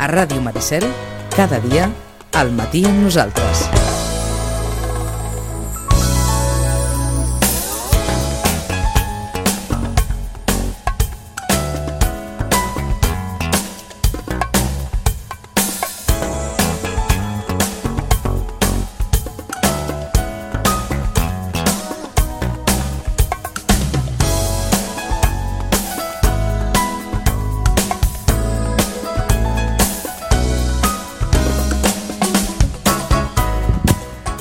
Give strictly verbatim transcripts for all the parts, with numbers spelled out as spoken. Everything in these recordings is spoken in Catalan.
A Ràdio Maricel, cada dia, al matí amb nosaltres.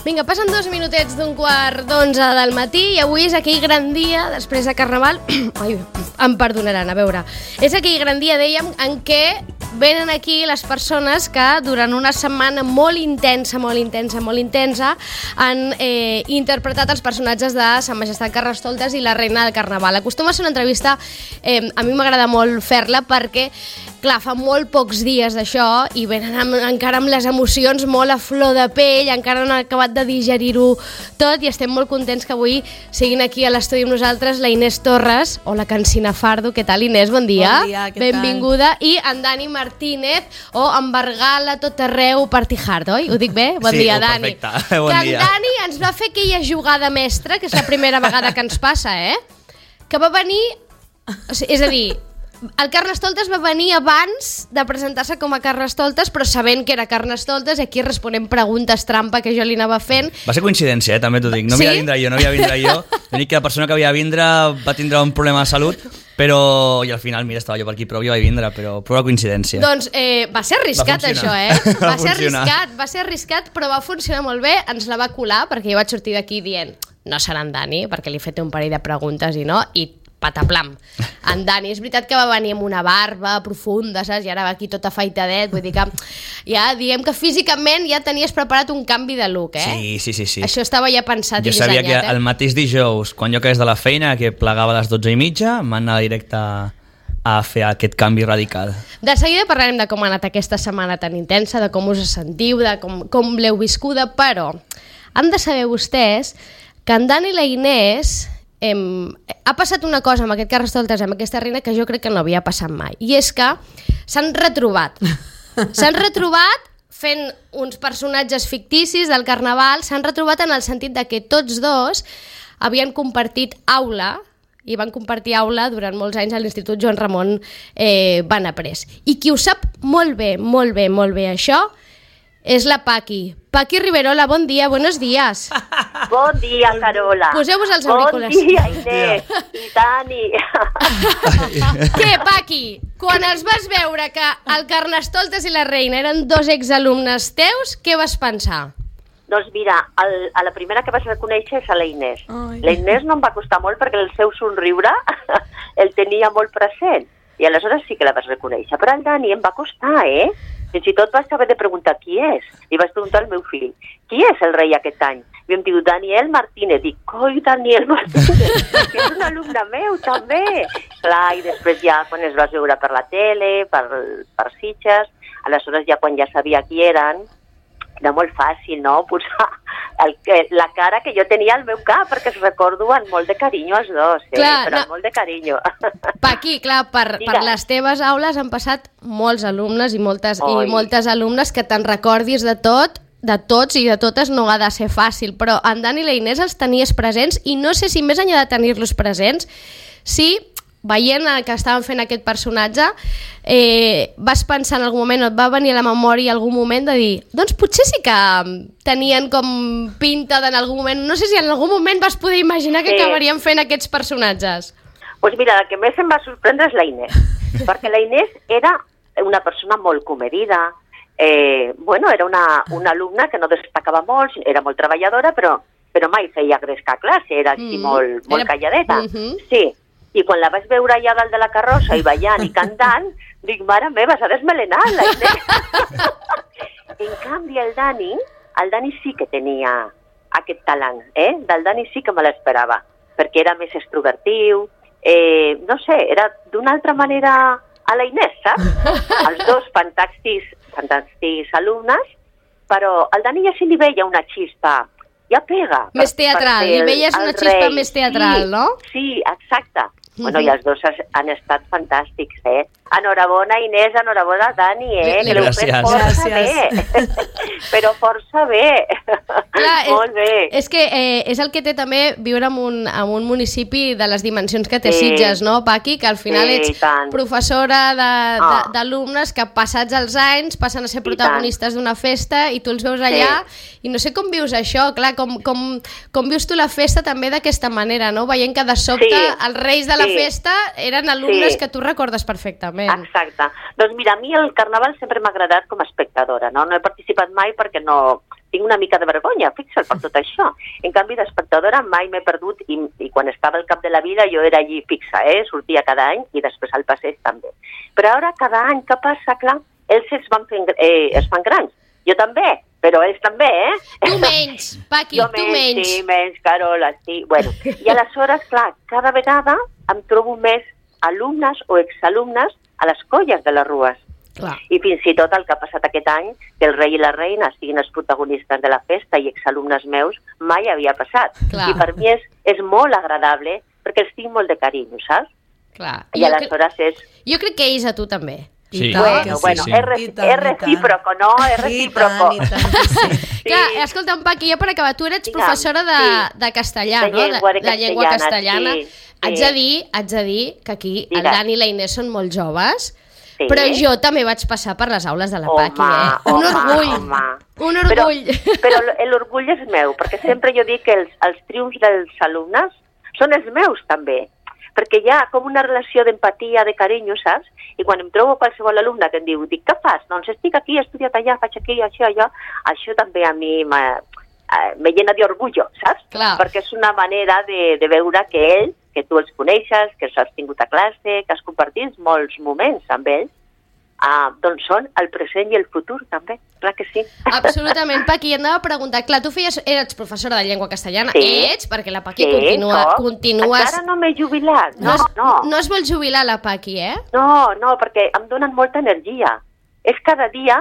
Vinga, passen dos minutets d'un quart d'onze del matí i avui és aquell gran dia, després de Carnaval, ai, em perdonaran, a veure, és aquell gran dia, dèiem, en què venen aquí les persones que durant una setmana molt intensa, molt intensa, molt intensa han eh, interpretat els personatges de Sa Majestat Carnestoltes i la Reina del Carnaval. Acostuma a ser una entrevista, eh, a mi m'agrada molt fer-la perquè, clar, fa molt pocs dies d'això i venen amb, encara amb les emocions molt a flor de pell, encara no han acabat de digerir-ho tot i estem molt contents que avui siguin aquí a l'estudi amb nosaltres la Inés Torres o la Cancina Fardo. Què tal, Inés? Bon dia. Bon dia, què Benvinguda. Tal? I en Dani Martínez o en Bargala tot arreu Partijard, oi? Ho dic bé? Bon sí, dia, oh, Dani. Perfecte. Bon que dia. en Dani ens va fer aquella jugada mestra, que és la primera vegada que ens passa, eh? Que va venir... O sigui, és a dir, el Carnestoltes va venir abans de presentar-se com a Carnestoltes, però sabent que era Carnestoltes, i aquí responem preguntes trampa que jo li anava fent. Va ser coincidència, eh, també t'ho dic. No Sí? havia de vindre jo, no havia de vindre jo. L'únic que la persona que havia de vindre va tindre un problema de salut, però... I al final, mira, estava jo per aquí, però jo vaig vindre, però pura coincidència. Doncs eh, va ser arriscat, Va això, funcionar. eh? Va, Va ser funcionar. arriscat, va ser arriscat, però va funcionar molt bé. Ens la va colar, perquè jo vaig sortir d'aquí dient no serà en Dani, perquè li he fet un parell de preguntes i no, i pataplam. En Dani, és veritat que va venir amb una barba profunda, saps? I ara va aquí tot afaitadet, vull dir que ja diguem que físicament ja tenies preparat un canvi de look, eh? Sí, sí, sí, sí. Això estava ja pensat Jo i sabia dissenyat, que eh? el mateix dijous, quan jo acabés de la feina, que plegava a les dotze i mitja, em van anar directe a fer aquest canvi radical. De seguida parlarem de com ha anat aquesta setmana tan intensa, de com us sentiu, de com, com l'heu viscuda, però han de saber vostès que en Dani i la Inés em, ha passat una cosa amb aquest Carnestoltes, amb aquesta reina, que jo crec que no havia passat mai, i és que s'han retrobat. S'han retrobat fent uns personatges ficticis del Carnaval, s'han retrobat en el sentit de que tots dos havien compartit aula, i van compartir aula durant molts anys a l'Institut Joan Ramon eh, Benaprés. I qui ho sap molt bé, molt bé, molt bé això, és la Paqui. Paqui Riverola, bon dia, buenos días. Bon dia, Carola. Poseu-vos els auriculars. Bon dia, Inés i Dani. Què, Paqui? Quan els vas veure que el Carnestoltes i la Reina eren dos exalumnes teus, què vas pensar? Doncs mira, el, a la primera que vas reconèixer és a la Inés. Ai. La Inés no em va costar molt perquè el seu somriure el tenia molt present. I aleshores sí que la vas reconèixer. Però el Dani em va costar, eh? Fins i tot vas haver de preguntar qui és. I vas preguntar al meu fill, qui és el rei aquest any? I em diu, Daniel Martínez. Dic, coi, Daniel Martínez, que és un alumne meu, també. Clar, i després ja, quan es vas veure per la tele, per, per Sitges, aleshores ja quan ja sabia qui eren, era molt fàcil, no?, posar el, la cara que jo tenia al meu cap, perquè es recordo amb molt de carinyo els dos, eh? Clar, però no. amb molt de carinyo. Paqui, clar, per, per Digues. les teves aules han passat molts alumnes i moltes, Oi. i moltes alumnes que te'n recordis de tot, de tots i de totes no ha de ser fàcil, però en Dani i la Inés els tenies presents i no sé si més enllà de tenir-los presents, si veient que estaven fent aquest personatge, eh, vas pensar en algun moment, o et va venir a la memòria algun moment de dir, doncs potser sí que tenien com pinta d'en algun moment, no sé si en algun moment vas poder imaginar que Sí. acabarien fent aquests personatges. Doncs pues mira, la que més em va sorprendre és la Inés, perquè la Inés era una persona molt comedida, eh, bueno, era una, una alumna que no destacava molt, era molt treballadora, però, però mai feia gresca a classe, era així Mm. molt, molt Era- calladeta. Mhm. Sí, i quan la vaig veure allà dalt de la carrossa i ballant i cantant, dic, mare meva, s'ha desmelenat la Inés. En canvi, el Dani, el Dani sí que tenia aquest talent, eh? Del Dani sí que me l'esperava, perquè era més extrovertiu, eh, no sé, era d'una altra manera a la Inés, saps? Els dos fantàstics, fantàstics alumnes, però al Dani ja se li veia una xispa, ja pega. Més teatral, li veies una xispa més teatral, sí, no? Sí, exacte. Bueno, i els dos han estat fantàstics, eh? Enhorabona, Inés, enhorabona, Dani, eh? Le, que l'heu fet força bé. Però força bé. Clar, Molt bé. És, és que eh, és el que té també viure en un, en un municipi de les dimensions que té Sí. Sitges, no, Paqui? Que al final Sí, ets i tant. professora de- de- Ah. d'alumnes que passats els anys passen a ser I protagonistes d'una festa i tu els veus allà i no sé com vius això, clar, com, com, com vius tu la festa també d'aquesta manera, no? Veient que de sobte Sí. els reis de la Sí. festa eren alumnes Sí. que tu recordes perfectament. Exacte. Doncs mira, a mi el carnaval sempre m'ha agradat com a espectadora, no? No he participat mai perquè no... Tinc una mica de vergonya, fixa't, per tot això. En canvi, d'espectadora mai m'he perdut i, i quan estava al cap de la vida jo era allí fixa, eh? Sortia cada any i després al passeig també. Però ara, cada any que passa, clar, ells es, van fent, eh, es fan grans. Jo també, però ells també, eh? Tu menys, Paqui, Jo tu menys. Sí, menys, Carola, sí. Bueno, i aleshores, clar, cada vegada em trobo més alumnes o exalumnes a les colles de les rues. Clar. I fins i tot el que ha passat aquest any, que el rei i la reina siguin els protagonistes de la festa i exalumnes meus, mai havia passat. Clar. I per mi és, és molt agradable perquè els tinc molt de carinyo, saps? Clar. I Jo, cre aleshores és... jo crec que ells a tu també. Sí. tant Bueno, que sí, bueno, sí. és, re I tant, és i tant. recíproco, no? És recíproco. I tant, i tant que sí. Sí. Clar, escolta'm, Paqui, jo per acabar, tu eres Digue'm, professora de, sí. de castellà, De no? llengua de de llengua castellana, castellana. sí, sí. Haig de dir, haig de dir que aquí el Digues. Dani i la Inés són molt joves, Sí. però jo també vaig passar per les aules de la Home, Paqui, eh? Un home, orgull, home. un orgull. Però, però l'orgull és meu, perquè sempre jo dic que els, els triomfs dels alumnes són els meus també, perquè hi ha com una relació d'empatia, de carinyo, saps? I quan em trobo qualsevol alumne que em diu, dic, què fas? Doncs estic aquí, he estudiat allà, faig aquí, això, allò. Això també a mi m'ha- eh, me llena d'orgullo, saps? Clar. Perquè és una manera de, de veure que ells, que tu els coneixes, que els has tingut a classe, que has compartit molts moments amb ells, ah, doncs són el present i el futur també, clar que sí. Absolutament, Paqui, et anava a preguntar, clar, tu feies, eres professora de llengua castellana, Sí. ets, perquè la Paqui Sí, continua, soc. continues... Encara no m'he jubilat, no, es, no. no es vol jubilar la Paqui, eh? No, no, perquè em donen molta energia. És cada dia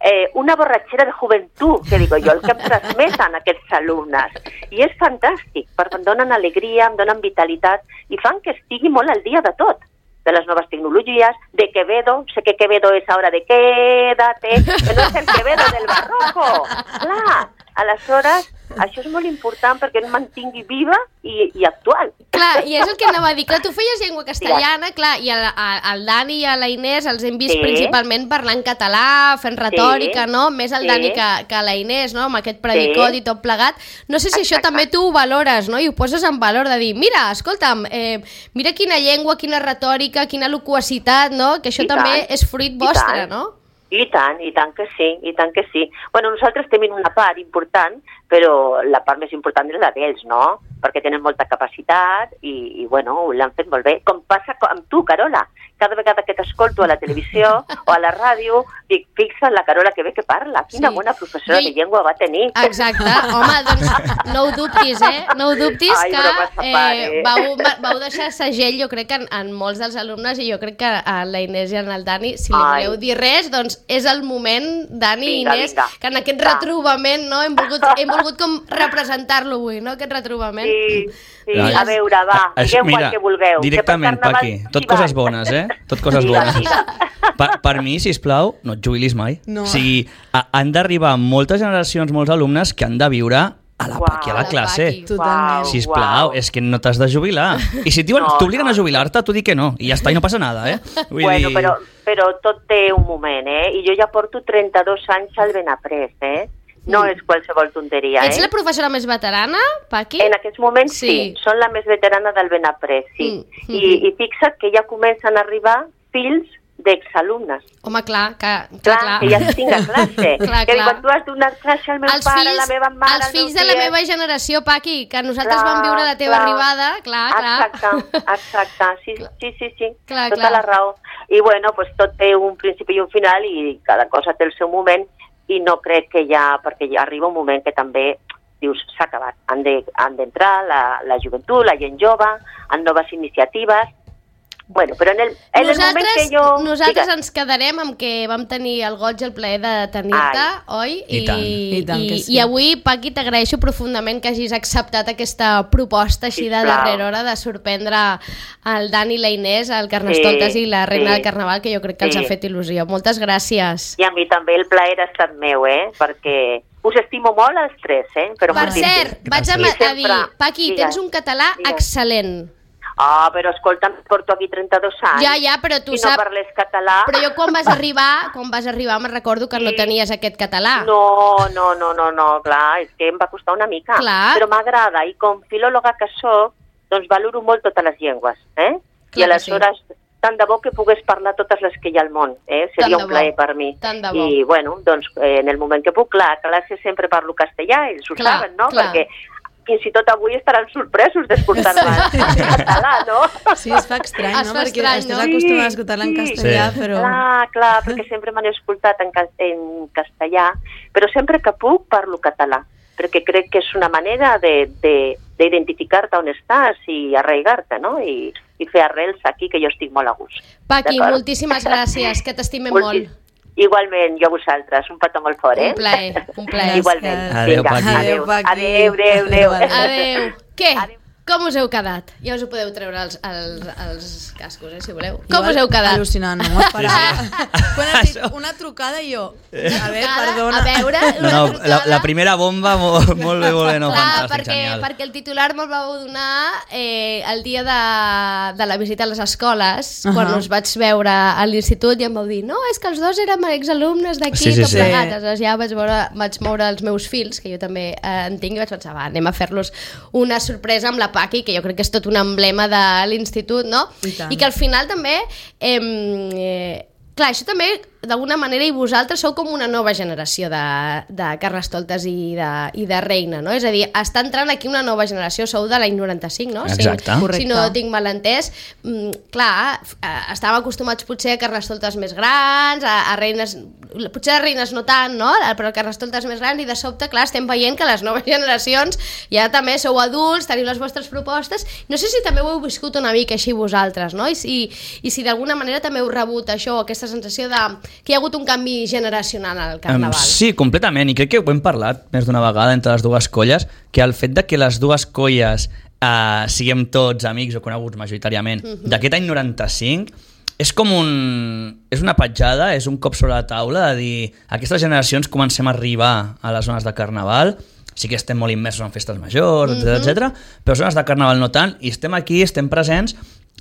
eh, una borratxera de joventut, que digo jo, el que em transmeten aquests alumnes. I és fantàstic, perquè em donen alegria, em donen vitalitat i fan que estigui molt al dia de tot. De les noves tecnologies, de Quevedo, sé que Quevedo és ara de quédate, que no és el Quevedo del barroco. Clar, aleshores, això és molt important perquè em mantingui viva i, i actual. Clar, i és el que anava a dir. Clar, tu feies llengua castellana, clar, i el, el Dani i a la Inés els hem vist Sí. principalment parlant català, fent retòrica, Sí. no? Més el Sí. Dani que, que la Inés, no? Amb aquest predicot Sí. i tot plegat. No sé si això Exacte. també tu ho valores, no? I ho poses en valor de dir, mira, escolta'm, eh, mira quina llengua, quina retòrica, quina loquacitat, no? Que això I també tant. és fruit I vostre, tant. no? I tant, i tant que sí, i tant que sí. Bueno, nosaltres tenim una part important, però la part més important és la d'ells, no? Perquè tenen molta capacitat i, i bueno, l'han fet molt bé. Com passa amb tu, Carola. Cada vegada que t'escolto a la televisió o a la ràdio, dic, fixa't la Carola que bé que parla. Quina Sí. bona professora Jo- de llengua va tenir. Exacte. Home, doncs no ho dubtis, eh? No ho dubtis Ai, bromes a que part, eh, eh? vau, vau deixar segell, jo crec, en, en molts dels alumnes i jo crec que a la Inés i en el Dani, si li Ai. voleu dir res, doncs és el moment, Dani i Vinga, Inés, vinga. que en aquest Va. retrobament, no? Hem volgut, hem volgut com representar-lo avui, no? Aquest retrobament. Sí, sí. Ai. A veure, va, Això, digueu mira, qual que vulgueu. directament, que per Paqui, carnaval tot s'hi coses van. bones, eh? Tot coses Digues, bones. digues. Per, per mi, sisplau, no et jubilis mai. No. O sigui, a, han d'arribar moltes generacions, molts alumnes que han de viure a la Uau. Paqui, a la A la classe. Paqui. Totalment. Uau. Sisplau, és que no t'has de jubilar. I si t'obliguen No, t'obliguen no. a jubilar-te, tu di que no. I ja està, i no passa nada, eh? Vull Bueno, dir... però, però tot té un moment, eh? I jo ja porto trenta-dos anys al Benaprés, eh? No Mm. és qualsevol tonteria, Ets eh? la professora més veterana, Paqui? En aquests moments sí. Sí. sí, són la més veterana del Benaprés, sí. Mm, I, mhm. I fixa't que ja comencen a arribar fills d'exalumnes. Home, clar, que, que Clar, clar. que ja els tinc a classe. Clar, que clar. quan tu has donat classe al meu Els pare, fills, a la meva mare, els al meu fills de la tiet. meva generació, Paqui, que nosaltres Clar, vam viure la teva clar. arribada, clar, clar. Exacte, exacte, sí, sí, sí, sí. Clar, tota clar. la raó. I bueno, pues tot té un principi i un final i cada cosa té el seu moment i no crec que ja, perquè ja arriba un moment que també dius, s'ha acabat. Han de, han d'entrar la, la joventut, la gent jove, en noves iniciatives Bueno, però en el, en el moment que jo... Nosaltres Digues. ens quedarem amb que vam tenir el goig i el plaer de tenir-te, oi? I tant. I, I tant que i, sí. I avui, Paqui, t'agraeixo profundament que hagis acceptat aquesta proposta així de Sisplau. darrera hora de sorprendre el Dani i la Inés, el Carnestoltes Sí, i la Reina sí. del Carnaval, que jo crec que els Sí. ha fet il·lusió. Moltes gràcies. I a mi també el plaer ha estat meu, eh? Perquè us estimo molt als tres, eh? Però Per moltíssim. cert, vaig a, I a dir, sempre- Paqui, Digues. tens un català Digues. excel·lent. Ah, però escolta, porto aquí trenta-dos anys. Ja, ja, però tu si saps- no parles català... Però jo quan vas arribar, quan vas arribar me'n recordo que no Sí. tenies aquest català. No, no, no, no, no, clar, és que em va costar una mica. Clar. Però m'agrada, i com filòloga que soc, doncs valoro molt totes les llengües, eh? Clar I aleshores, que tant de bo que pogués parlar totes les que hi ha al món, eh? Tant Seria de un bo, plaer per mi. tant de bo. I, bueno, doncs, eh, en el moment que puc, clar, a classe sempre parlo castellà, ells ho Clar, saben, no? clar. Perquè fins i tot avui estaran sorpresos d'escoltar-me en català, no? Sí, es fa estrany, Es no? fa Perquè estrany, estàs no? acostumat a escoltar-la en Sí. castellà, Sí. però... Clar, clar, perquè sempre m'han escoltat en, cas en castellà, però sempre que puc parlo català, perquè crec que és una manera de, de, d'identificar-te on estàs i arraigar-te, no? I, i fer arrels aquí, que jo estic molt a gust. Paqui, D'acord? moltíssimes gràcies, que t'estimem Molti- molt. Igualment, jo a vosaltres, un petó molt fort, eh? Un plaer, un plaer. Igualment. Adéu, Vinga, Paqui. Adéu, Adéu, Paqui. adéu, adéu, adéu. Adéu, Adéu. Què? Adéu. Com us heu quedat? Ja us ho podeu treure els, els, els cascos, eh, si voleu. Jo Com us heu quedat? Al·lucinant, no m'ho esperava. Quan has dit una trucada i jo... A veure, Trucada, perdona. A veure, No, una no, trucada. la, la primera bomba, molt, molt bé, molt bé, no, Clar, fantàstic, perquè, genial. perquè el titular me'l vau donar eh, el dia de, de la visita a les escoles, uh -huh. quan Ahà. us vaig veure a l'institut i em vau dir no, és que els dos érem exalumnes d'aquí, Sí, sí, tot sí. plegat. Aleshores ja vaig, veure, vaig moure els meus fills, que jo també eh, en tinc, i vaig pensar, va, anem a fer-los una sorpresa amb la Paqui, que jo crec que és tot un emblema de l'institut, no? I tant. I que al final també... Eh, eh, clar, això també, d'alguna manera, i vosaltres sou com una nova generació de, de Carnestoltes i de, i de Reina, no? És a dir, està entrant aquí una nova generació, sou de l'any noranta-cinc, no? Exacte. Si, Correcte. si no tinc mal entès. Mm, clar, eh, estàvem acostumats potser a Carnestoltes més grans, a, a reines... Potser a reines no tant, no? Però a Carnestoltes més grans, i de sobte, clar, estem veient que les noves generacions ja també sou adults, teniu les vostres propostes. No sé si també ho heu viscut una mica així vosaltres, no? I si, i si d'alguna manera també heu rebut això, aquesta sensació de que hi ha hagut un canvi generacional al Carnaval. Um, sí, completament, i crec que ho hem parlat més d'una vegada entre les dues colles, que el fet de que les dues colles uh, siguem tots amics o coneguts majoritàriament uh-huh. d'aquest any noranta-cinc és com un... és una petjada, és un cop sobre la taula de dir aquestes generacions comencem a arribar a les zones de Carnaval, sí que estem molt immersos en festes majors, etcètera, uh-huh. etcètera, però zones de Carnaval no tant, i estem aquí, estem presents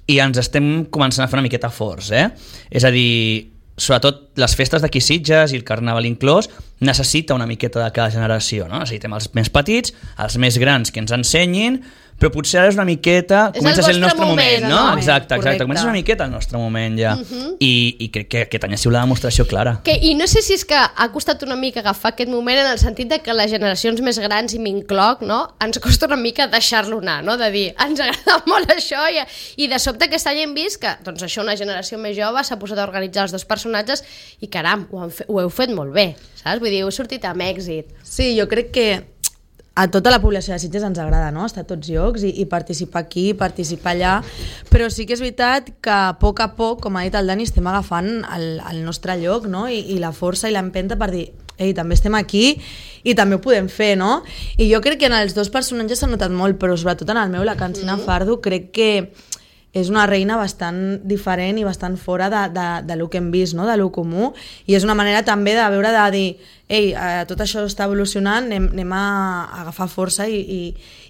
i ens estem començant a fer una miqueta forts, eh? És a dir, sobretot les festes d'aquí Sitges i el Carnaval inclòs, necessita una miqueta de cada generació, no? Necessitem els més petits, els més grans que ens ensenyin, però potser ara és una miqueta... És comença el a ser el vostre nostre moment, moment, no? no? Exacte, exacte. Correcte. Comença a ser una miqueta el nostre moment ja. Uh -huh. I, I crec que aquest any ha sigut la demostració clara. Que, I no sé si és que ha costat una mica agafar aquest moment en el sentit de que les generacions més grans, i m'incloc, no? Ens costa una mica deixar-lo anar, no? De dir, ens agrada molt això, i, i de sobte aquest any hem vist que, doncs això, una generació més jove s'ha posat a organitzar els dos personatges i, caram, ho, han fe, ho heu fet molt bé, saps? Vull dir, heu sortit amb èxit. Sí, jo crec que a tota la població de Sitges ens agrada, no? Estar a tots llocs i, i participar aquí, participar allà, però sí que és veritat que a poc a poc, com ha dit el Dani, estem agafant el, el nostre lloc, no? I, i la força i l'empenta per dir, ei, també estem aquí i també ho podem fer, no? I jo crec que en els dos personatges s'ha notat molt, però sobretot en el meu, la Cancina mm-hmm. Fardo, crec que és una reina bastant diferent i bastant fora de, de, de lo que hem vist, no? De lo comú, i és una manera també de veure, de dir, ei, eh, tot això està evolucionant, anem, anem a agafar força i, i,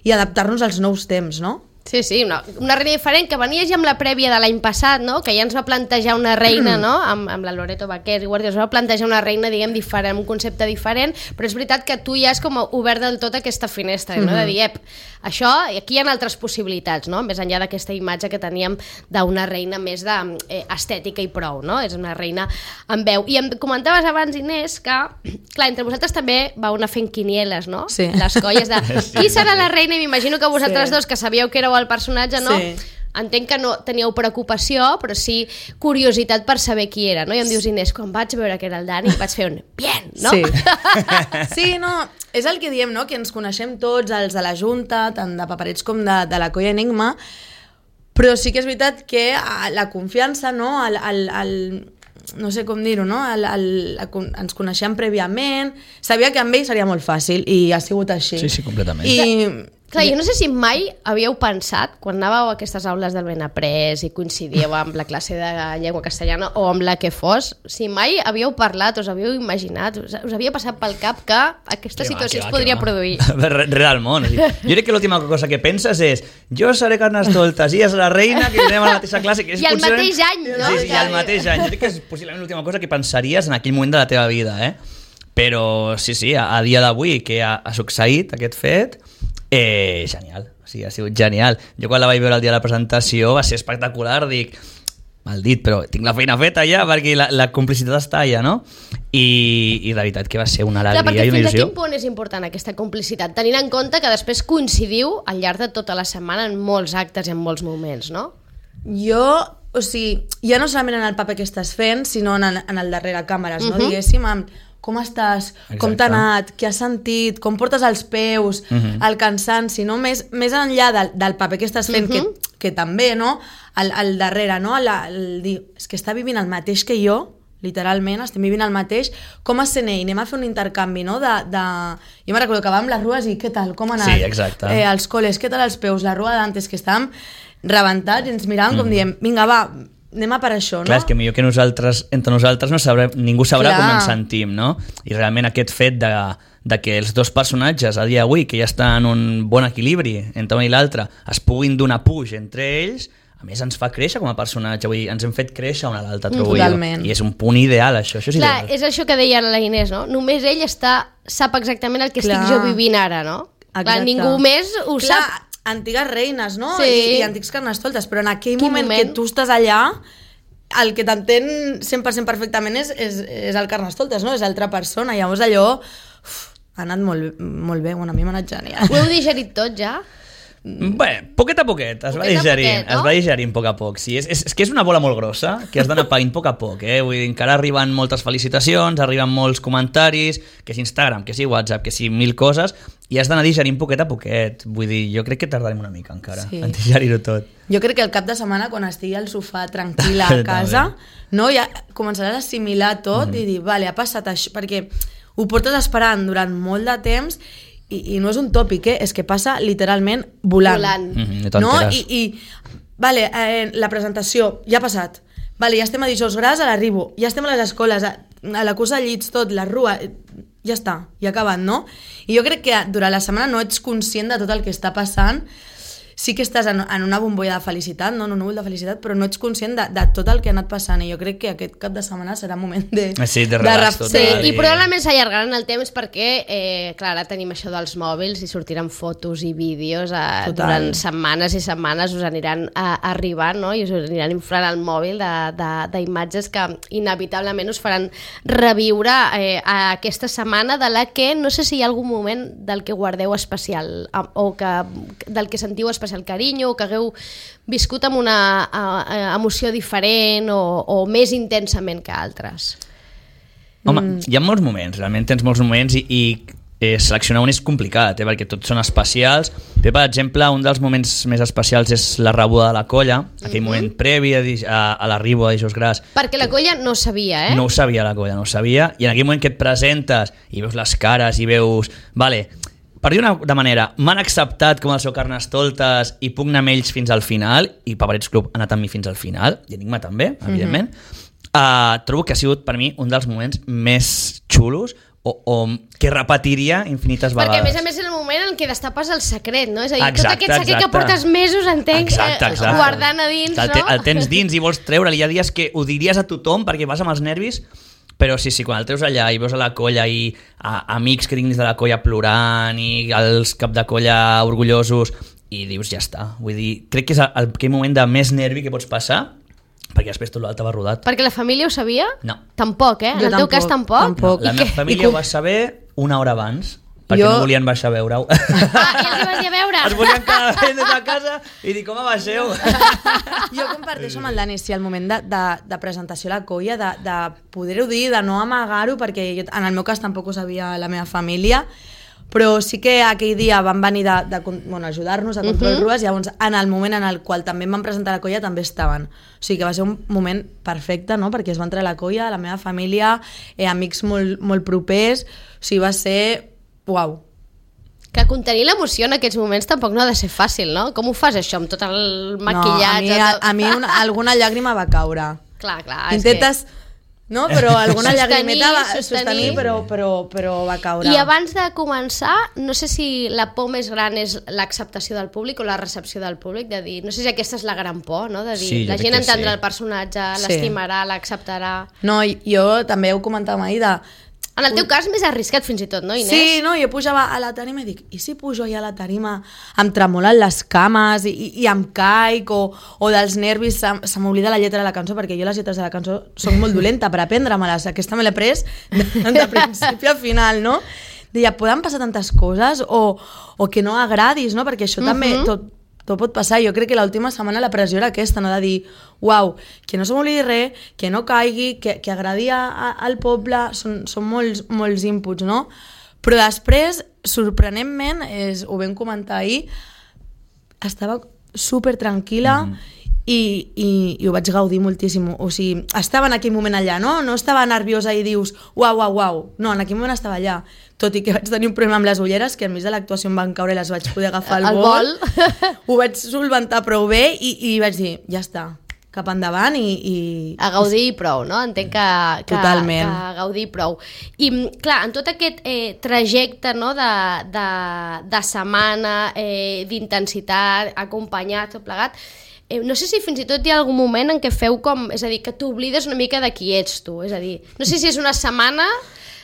i adaptar-nos als nous temps, no? Sí, sí, una, una reina diferent que venia ja amb la prèvia de l'any passat, no? Que ja ens va plantejar una reina, no? Amb, amb la Loreto Baquer i Guàrdia, ens va plantejar una reina, diguem, diferent, un concepte diferent, però és veritat que tu ja has com obert del tot aquesta finestra, no? De dir, ep, això, aquí hi ha altres possibilitats, no? Més enllà d'aquesta imatge que teníem d'una reina més de, eh, estètica i prou, no? És una reina amb veu. I em comentaves abans, Inés, que, clar, entre vosaltres també vau anar fent quinieles, no? Sí. Les colles de Sí, qui serà sí. la reina, i m'imagino que vosaltres Sí. dos, que sabíeu que éreu el personatge, no? Sí. Entenc que no teníeu preocupació, però sí curiositat per saber qui era, no? I em dius, Inés, quan vaig veure que era el Dani, vaig fer un bien, no? Sí. Sí, no, és el que diem, no? Que ens coneixem tots, els de la Junta, tant de Paperets com de, de la Colla Enigma, Però sí que és veritat que la confiança, no? El, el, el, no sé com dir-ho, no? El, el, el, ens coneixem prèviament, sabia que amb ell seria molt fàcil i ha sigut així. Sí, sí, completament. I... Clar, jo no sé si mai havíeu pensat, quan anàveu a aquestes aules del Benaprés i coincidíeu amb la classe de llengua castellana o amb la que fos, si mai havíeu parlat, us havíeu imaginat, us, us havia passat pel cap que aquesta Que situació va, que es va, podria que va. produir. Res del món. O sigui, jo crec que l'última cosa que penses és jo seré Carnestoltes i és la reina, que anem a la mateixa classe. Que és I al possiblement- mateix any, no? Sí, sí, i al mateix any. Jo crec que és possiblement l'última cosa que pensaries en aquell moment de la teva vida, eh? Però sí, sí, a, a dia d'avui que ha, ha succeït aquest fet, eh, genial. O sigui, ha sigut genial. Jo quan la vaig veure el dia de la presentació va ser espectacular, dic, mal dit, però tinc la feina feta ja perquè la, la complicitat està allà, no? I, i la veritat que va ser una Clar, alegria perquè i una fins a il·lusió. quin punt és important aquesta complicitat, tenint en compte que després coincidiu al llarg de tota la setmana en molts actes i en molts moments, no? Jo, o sigui, ja no solament en el paper que estàs fent, sinó en, en el darrere càmeres, no? Mhm. Diguéssim, amb com estàs, com Exacte. t'ha anat, què has sentit, com portes els peus, Mhm. el cansanci, no? Més, més enllà del, del paper que estàs fent, Mhm. que, que també, no? El, el darrere, no? El, el dir, és que està vivint el mateix que jo, literalment, estem vivint el mateix, com a C N I, anem a fer un intercanvi, no? De, de... Jo me recordo que vam les rues i què tal, com ha anat? Sí, exacte. Eh, els col·les, què tal els peus, la rua d'antes, que estàvem rebentats i ens miràvem com diem, vinga, va, anem a per això, no? Clar, és que millor que nosaltres, entre nosaltres no sabrem, ningú sabrà Clar. com ens sentim, no? I realment aquest fet de, de que els dos personatges a dia d'avui, que ja estan en un bon equilibri entre un i l'altre, es puguin donar puix entre ells, a més ens fa créixer com a personatge, vull dir, ens hem fet créixer un a l'altre, trobo Totalment. jo. I és un punt ideal, això, això és Clar, ideal. és això que deia la Inés, no? Només ell està, sap exactament el que Clar. estic jo vivint ara, no? Clar, Exacte. ningú més ho Clar, sap. antigues reines, no? Sí. I, I antics carnestoltes, però en aquell Quin moment, moment? que tu estàs allà, el que t'entén cent per cent perfectament és, és, és el carnestoltes, no? És altra persona. Llavors allò uf, ha anat molt, molt bé, bueno, a mi m'ha anat genial. Ho heu digerit tot ja? Bé, poquet a poquet, es va Poquet a digerint, poquet, no? es va digerint a poc a poc. Sí, és, és, és que és una bola molt grossa, que has d'anar paint a poc a poc, eh? Vull dir, encara arriben moltes felicitacions, arriben molts comentaris, que és Instagram, que és WhatsApp, que sí, mil coses, i has d'anar digerint poquet a poquet. Vull dir, jo crec que tardarem una mica encara Sí. en digerir-ho tot. Jo crec que el cap de setmana, quan estigui al sofà tranquil·la a casa, no, ja començaràs a assimilar tot mm. i dir, vale, ha passat això, perquè ho portes esperant durant molt de temps i, i no és un tòpic, eh? És que passa literalment volant. Volant. Mhm, no No? t'enteres. I, i vale, eh, la presentació ja ha passat. Vale, ja estem a Dijous Gras, a l'arribo. Ja estem a les escoles, a, a la cursa de llits, tot, la rua... eh, Ja està, ja ha acabat, no? I jo crec que durant la setmana no ets conscient de tot el que està passant. Sí que estàs en, en una bombolla de felicitat, no? En un núvol de felicitat, però no ets conscient de, de tot el que ha anat passant. I jo crec que aquest cap de setmana serà un moment de... Sí, de relax ref- total. Sí, i i- probablement s'allargaran el temps perquè, eh, clar, ara tenim això dels mòbils i sortiran fotos i vídeos eh, Total. durant setmanes i setmanes us aniran eh, arribant, no? I us aniran inflant el mòbil d'imatges que inevitablement us faran reviure eh, a aquesta setmana de la que no sé si hi ha algun moment del que guardeu especial eh, o que, del que sentiu especial carinyo o que hagueu viscut amb una eh, emoció diferent o, o més intensament que altres. Home, Mm. hi ha molts moments, realment tens molts moments i, i eh, seleccionar un és complicat, eh, perquè tots són especials. Bé, per exemple, un dels moments més especials és la rebuda de la colla, aquell Mhm. moment previ a, Dij- a, a l'arribo a Dijous Gras. Perquè la colla no sabia, eh? No ho sabia la colla, no ho sabia, i en aquell moment que et presentes i veus les cares i veus... Vale, per dir-ho de manera, m'han acceptat com el seu Carnestoltes i puc anar amb ells fins al final, i Paperets Club ha anat amb mi fins al final, i Enigma també, evidentment. Mm-hmm. Uh, trobo que ha sigut per mi un dels moments més xulos o, o que repetiria infinites Perquè, a vegades. més a més, és el moment en què destapes el secret, no? És a dir, Exacte, tot aquest secret exacte. que portes mesos, entenc, Exacte, eh, exacte. guardant a dins, el, no? te, el tens dins i vols treure'l. Hi ha dies que ho diries a tothom perquè vas amb els nervis, però sí, sí, quan el treus allà i veus a la colla i a, amics que tinguis de la colla plorant i els cap de colla orgullosos i dius, ja està. Vull dir, crec que és el, aquell moment de més nervi que pots passar, perquè després tot l'altre va rodat. Perquè la família ho sabia? No. Tampoc, eh? En Jo el teu cas, tampoc? tampoc. La I meva que- família i ho com- va saber una hora abans, perquè Jo- no volien baixar a veure-ho. Ah, i els hi vas dir a veure? Es volien quedar des de casa i dir, com baixeu? Jo comparteixo amb el Dani, sí, el moment de, de, de presentació a la colla, de, de poder-ho dir, de no amagar-ho, perquè jo, en el meu cas tampoc ho sabia la meva família, però sí que aquell dia van venir de, de, bueno, ajudar-nos a Control uh -huh. Rues, i llavors en el moment en el qual també em van presentar a la colla també estaven. O sigui que va ser un moment perfecte, no? Perquè es va entrar a la colla, la meva família, eh, amics molt, molt propers, o sigui, va ser... Uau! Que contenir l'emoció en aquests moments tampoc no ha de ser fàcil, no? Com ho fas això, amb tot el maquillatge? No, a mi, a, a mi una, alguna llàgrima va caure. Clar, clar. Intentes... Que... No? Però alguna sostenir, llagrimeta va sostenir, sostenir, però, però, però va caure. I abans de començar, no sé si la por més gran és l'acceptació del públic o la recepció del públic, de dir, no sé si aquesta és la gran por, no? De dir, sí, la gent entendrà sí. el personatge, sí. l'estimarà, l'acceptarà... No, jo també ho comentàvem ahir de... En el teu cas més arriscat fins i tot, no, Inés? Sí, no, jo pujava a la tarima i dic, i si pujo ja a la tarima em tremolen les cames i, i, i em caic o, o dels nervis se, se m'oblida la lletra de la cançó, perquè jo les lletres de la cançó són molt dolenta per aprendre-me-les, aquesta me l'he pres de, de principi a final, no? Deia, poden passar tantes coses o, o que no agradis, no? Perquè això uh-huh. també tot, tot pot passar. Jo crec que l'última setmana la pressió era aquesta, no? De dir, uau, que no se m'oblidi res, que no caigui, que, que agradi a, a, al poble, són, són molts, molts inputs, no? Però després, sorprenentment, és, ho vam comentar ahir, estava super tranquil·la mm. i, i, i ho vaig gaudir moltíssim. O sigui, estava en aquell moment allà, no? No estava nerviosa i dius, uau, uau, uau. No, en aquell moment estava allà. Tot i que vaig tenir un problema amb les ulleres, que enmig de l'actuació em van caure i les vaig poder agafar al el vol. vol. Ho vaig solventar prou bé i, i vaig dir, ja està, cap endavant i... i... A gaudir i prou, no? Entenc que, que, Totalment. que a gaudir i prou. I, clar, en tot aquest eh, trajecte, no?, de, de, de setmana, eh, d'intensitat, acompanyat, tot plegat, eh, no sé si fins i tot hi ha algun moment en què feu com... És a dir, que t'oblides una mica de qui ets tu. És a dir, no sé si és una setmana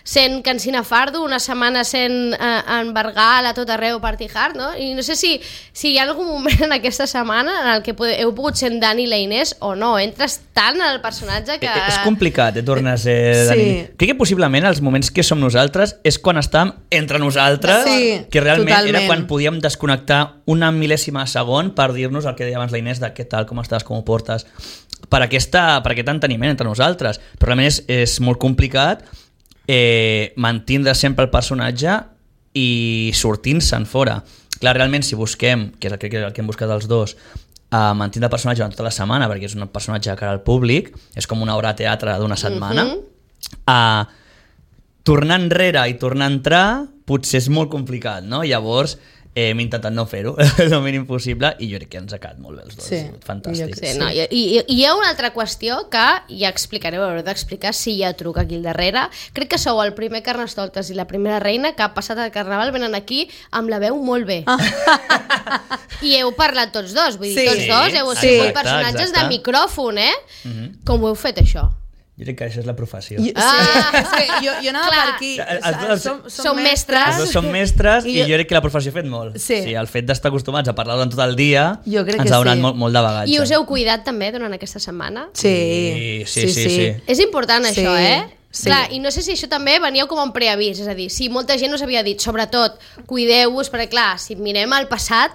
sent Cansina Fardo, una setmana sent eh, en Bargal a tot arreu Party Hard, no? I no sé si, si hi ha algun moment en aquesta setmana en el que heu pogut ser en Dani i la Inés o no, entres tant al personatge que... Eh, és complicat, eh, tornar a ser Sí. Dani. Crec que possiblement els moments que som nosaltres és quan estàvem entre nosaltres, Sí, que realment totalment. era quan podíem desconnectar una mil·lèsima de segon per dir-nos el que deia abans la Inés de què tal, com estàs, com ho portes, per, aquesta, per aquest enteniment entre nosaltres. Però realment és, és molt complicat eh, mantindre sempre el personatge i sortint-se'n fora. Clar, realment, si busquem, que és el que, el que hem buscat els dos, a mantindre el personatge durant tota la setmana, perquè és un personatge de cara al públic, és com una obra de teatre d'una setmana, mm-hmm. a tornar enrere i tornar a entrar potser és molt complicat, no? Llavors eh, hem intentat no fer-ho el mínim possible i jo crec que ens ha quedat molt bé els dos. Sí, fantàstic. Sí, no, i, i, i hi ha una altra qüestió que ja explicareu, haureu d'explicar si hi ha truc aquí al darrere. Crec que sou el primer Carnestoltes i la primera reina que ha passat el Carnaval venen aquí amb la veu molt bé. Ah. I heu parlat tots dos, vull dir, Sí. tots dos heu Sí. sigut Exacte, personatges exacte. de micròfon, eh? Mm-hmm. Com ho heu fet, això? Jo crec que això és la professió. Jo, Ah. sí, és que jo, jo anava Clar. per aquí. Els dos- som, som mestres. Els dos són mestres i, I jo- jo crec que la professió ha fet molt. Sí. sí el fet d'estar acostumats a parlar durant tot el dia Jo crec ens que ha donat sí. molt, molt de bagatge. I us heu cuidat també durant aquesta setmana? Sí, Sí, sí, sí, sí. És important Sí, això, eh? sí. Clar, i no sé si això també veníeu com un preavís, és a dir, si molta gent us havia dit, sobretot, cuideu-vos, perquè clar, si mirem al passat,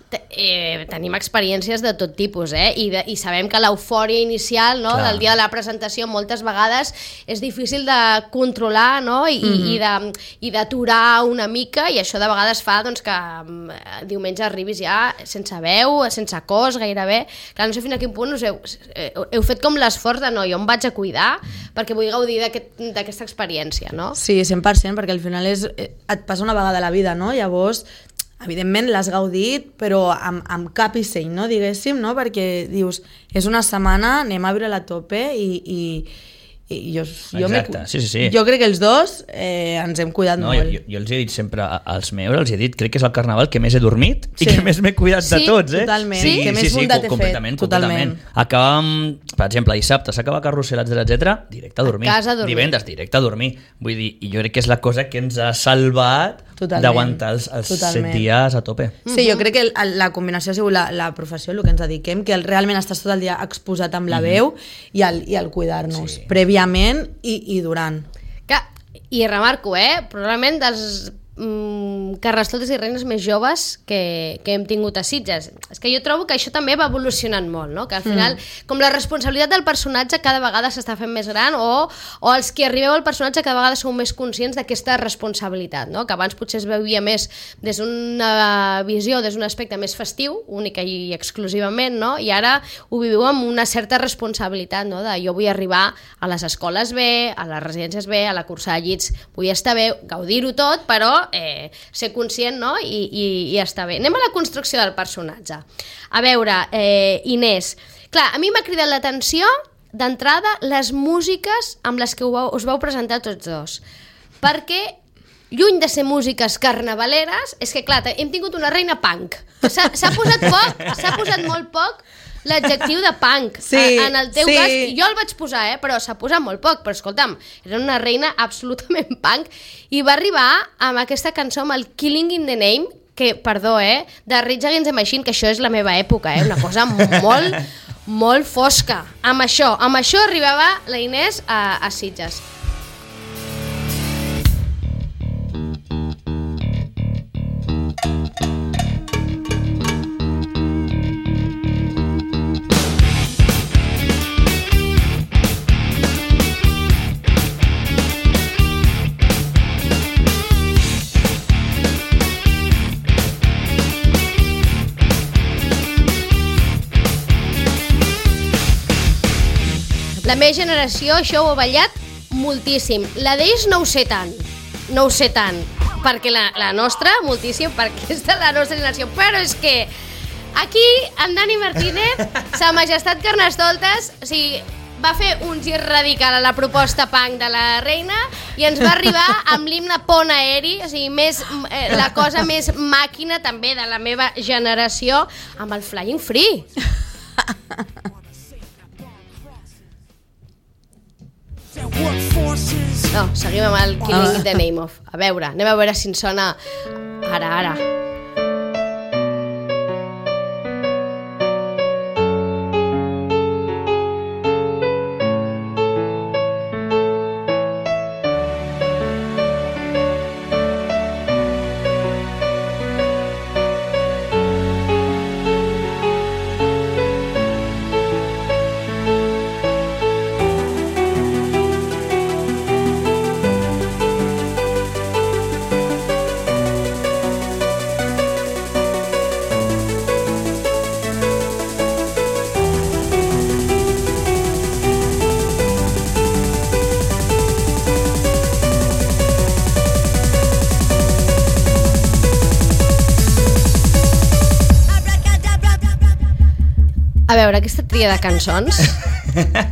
te- eh, tenim experiències de tot tipus, eh? I, de, i sabem que l'eufòria inicial, no?, Clar. del dia de la presentació moltes vegades és difícil de controlar, no?, i, Mhm. i de- i d'aturar una mica, i això de vegades fa doncs, que mm, diumenge arribis ja sense veu, sense cos gairebé. Clar, no sé fins a quin punt us heu, eh, heu fet com l'esforç de no, jo em vaig a cuidar perquè vull gaudir d'aquest- d'aquesta experiència, no? Sí, cent per cent, perquè al final és, eh, et passa una vegada a la vida, no? Llavors, evidentment l'has gaudit, però amb, amb cap i seny, no? Diguéssim, no? Perquè dius, és una setmana, anem a viure la tope i, i, i jo, jo, m'he- Exacte, sí, sí, sí. jo crec que els dos eh, ens hem cuidat No, molt. jo, jo els he dit sempre a- als meus, els he dit, crec que és el Carnaval que més he dormit Sí. i que més m'he cuidat de Sí, tots, eh? totalment. Sí, Que més sí, sí, bondat he co- fet, completament, totalment. completament. Acabàvem, per exemple, dissabte s'acaba Carrusel, etcètera, etcètera, directe a dormir. A casa a dormir. Divendres, directe a dormir. Vull dir, i jo crec que és la cosa que ens ha salvat Totalment. d'aguantar els, els set Totalment. dies a tope. Sí, jo crec que el, el, la combinació ha sigut la, la professió, el que ens dediquem, que el, realment estàs tot el dia exposat amb la veu i el, i el cuidar-nos, Sí. prèviament i, i durant. Clar, i remarco, eh? Probablement dels mm, carnestoltes i reines més joves que, que hem tingut a Sitges. És que jo trobo que això també va evolucionant molt, no? Que al final, mm. com la responsabilitat del personatge cada vegada s'està fent més gran o, o els que arribeu al personatge cada vegada sou més conscients d'aquesta responsabilitat, no? Que abans potser es veuia més des d'una visió, des d'un aspecte més festiu, única i exclusivament, no? I ara ho viviu amb una certa responsabilitat, no? De jo vull arribar a les escoles bé, a les residències bé, a la cursa de llits vull estar bé, gaudir-ho tot, però eh, ser conscient, no? I, i, i estar bé. Anem a la construcció del personatge. A veure, eh, Inés, clar, a mi m'ha cridat l'atenció d'entrada les músiques amb les que vau, us vau presentar tots dos, perquè lluny de ser músiques carnavaleres, és que clar, hem tingut una reina punk. S'ha posat poc, s'ha posat molt poc l'adjectiu de punk. Sí, en el teu sí. cas, jo el vaig posar, eh, però s'ha posat molt poc, però escolta'm, era una reina absolutament punk i va arribar amb aquesta cançó, amb el Killing in the Name, que, perdó, eh, de Rage Against the Machine, que això és la meva època, eh, una cosa molt, molt fosca. Amb això, amb això arribava la Inés a, a Sitges. La meva generació això ho ha ballat moltíssim. La d'ells no ho sé tant, no ho sé tant, perquè la, la nostra, moltíssim, perquè és de la nostra generació. Però és que aquí en Dani Martínez, sa majestat Carnestoltes, o sigui, va fer un gir radical a la proposta punk de la reina i ens va arribar amb l'himne Pont Aeri, o sigui, més, eh, la cosa més màquina també de la meva generació, amb el Flying Free. No, seguim amb el Killing in the Name of. A veure, anem a veure si ens sona ara, ara. A veure, aquesta tria de cançons